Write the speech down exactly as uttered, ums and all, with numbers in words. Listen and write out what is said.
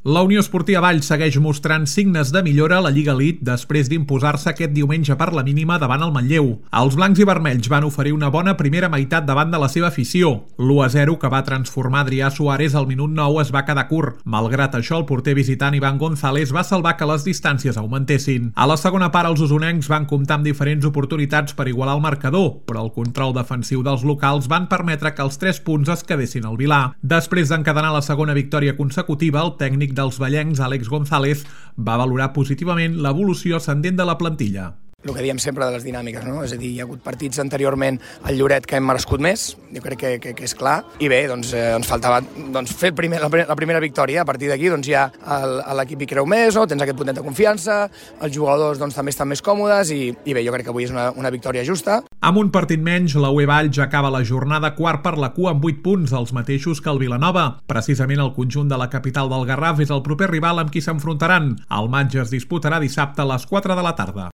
La Unió Esportiva Valls segueix mostrant signes de millora a la Lliga Elite després d'imposar-se aquest diumenge per la mínima davant el Manlleu. Els blancs i vermells van oferir una bona primera meitat davant de la seva afició. l'u a zero que va transformar Adrià Suárez al minut nou es va quedar curt. Malgrat això, el porter visitant Iván González va salvar que les distàncies augmentessin. A la segona part, els usonencs van comptar amb diferents oportunitats per igualar el marcador, però el control defensiu dels locals van permetre que els tres punts es quedessin al Vilà. Després d'encadenar la segona victòria consecutiva, el tècnic dels ballencs, Àlex González, va valorar positivament l'evolució ascendent de la plantilla. El que diem sempre de les dinàmiques, no? És a dir, hi ha hagut partits anteriorment al Lloret que hem merescut més, jo crec que, que, que és clar, i bé, doncs eh, ens faltava doncs, fer el primer, la, la primera victòria. A partir d'aquí doncs, ja l'equip hi creu més, no? Tens aquest puntet de confiança, els jugadors doncs, també estan més còmodes i, i bé, jo crec que avui és una, una victòria justa. Amb un partit menys, la U E Valls acaba la jornada quart per la cua amb vuit punts, els mateixos que el Vilanova. Precisament el conjunt de la capital del Garraf és el proper rival amb qui s'enfrontaran. El matx es disputarà dissabte a les quatre de la tarda.